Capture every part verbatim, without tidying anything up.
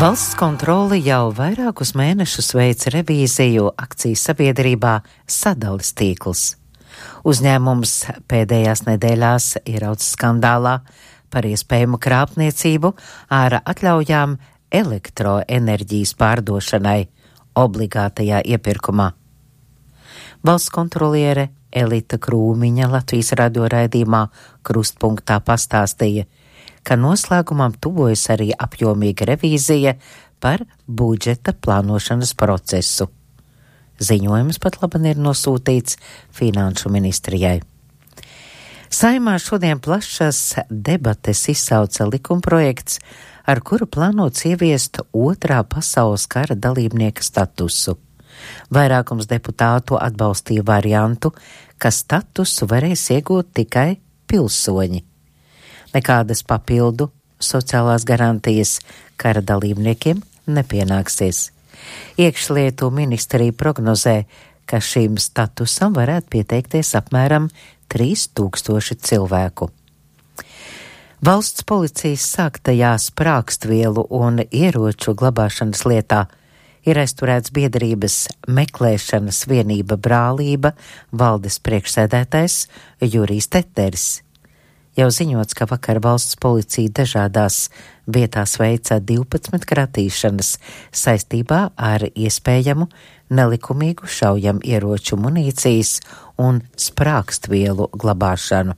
Valsts kontrole jau vairākus mēnešus veic revīziju akcijas sabiedrībā Sadales tīkls. Uzņēmums pēdējās nedēļās ieraudzis skandālā par iespējamu krāpniecību ar atļaujām elektroenerģijas pārdošanai obligātajā iepirkumā. Valsts kontroliere Elita Krūmiņa Latvijas radio raidījumā Krustpunktā pastāstīja, ka noslēgumam tuvojas arī apjomīga revīzija par budžeta plānošanas procesu. Ziņojums pat laban ir nosūtīts Finanšu ministrijai. Saeimā šodien plašas debates izsauca likumprojekts, ar kuru plānots ieviest otrā pasaules kara dalībnieka statusu. Vairākums deputātu atbalstīja variantu, ka statusu varēs iegūt tikai pilsoņi. Nekādas papildu sociālās garantijas kara dalībniekiem nepienāksies. Iekšlietu ministrija prognozē, ka šīm statusam varētu pieteikties apmēram trīs tūkstoši cilvēku. Valsts policijas sāktajā sprākstvielu un ieroču glabāšanas lietā ir aizturēts biedrības meklēšanas vienība Brālība valdes priekšsēdētājs Jurijs Teteris. Jau ziņots, ka vakar valsts policija dažādās vietās veica divpadsmit kratīšanas saistībā ar iespējamu nelikumīgu šaujam ieroču munīcijas un sprākstvielu glabāšanu.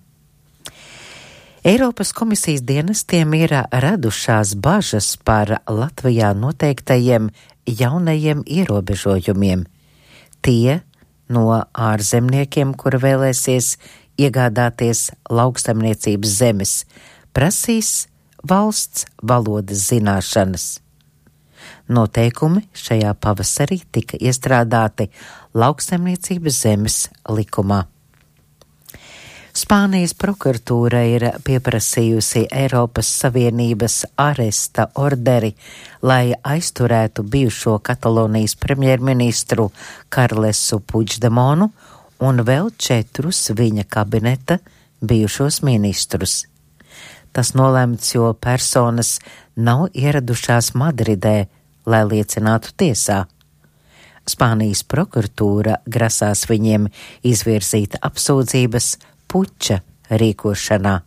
Eiropas komisijas dienestiem ir radušās bažas par Latvijā noteiktajiem jaunajiem ierobežojumiem. Tie no ārzemniekiem, kuri vēlēsies iegādāties lauksaimniecības zemes, prasīs valsts valodas zināšanas. Noteikumi šajā pavasarī tika iestrādāti lauksaimniecības zemes likumā. Spānijas prokuratūra ir pieprasījusi Eiropas Savienības aresta orderi, lai aizturētu bijušo Katalonijas premjerministru Karlesu Puigdemonu un vēl četrus viņa kabineta bijušos ministrus. Tas nolemts, jo personas nav ieradušās Madridē, lai liecinātu tiesā. Spānijas prokuratūra grasās viņiem izvirzīt apsūdzības puča rīkošanā.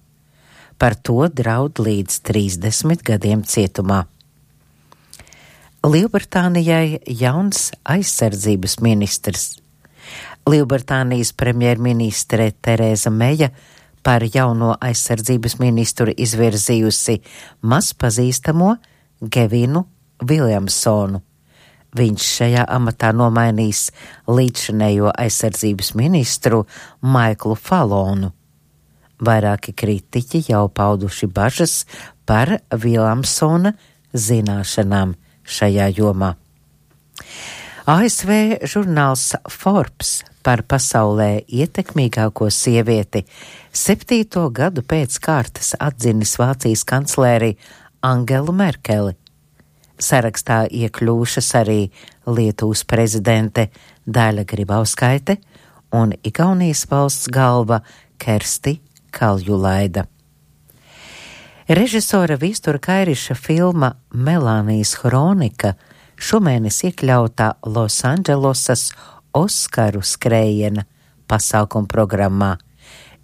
Par to draud līdz trīsdesmit gadiem cietumā. Lielbritānijai jauns aizsardzības ministrs. Lielbritānijas premjerministre Tereza Meja par jauno aizsardzības ministru izvirzījusi mazpazīstamo Gevinu Viljamsonu. Viņš šajā amatā nomainīs līdzšinējo aizsardzības ministru Maiklu Falonu. Vairāki kritiķi jau pauduši bažas par Viljamsona zināšanām šajā jomā. A S V žurnāls Forbes par pasaulē ietekmīgāko sievieti septīto gadu pēc kārtas atzinis Vācijas kancleri Angelu Merkeli. Sarakstā iekļūšas arī Lietuvas prezidente Daļa Grybauskaite un Igaunijas valsts galva Kersti Kaljulaida. Režisora Vīstura Kairiša filma Melānijas Hronika šomēnes iekļautā Losandželosas Oskaru skrējiena pasākuma programmā.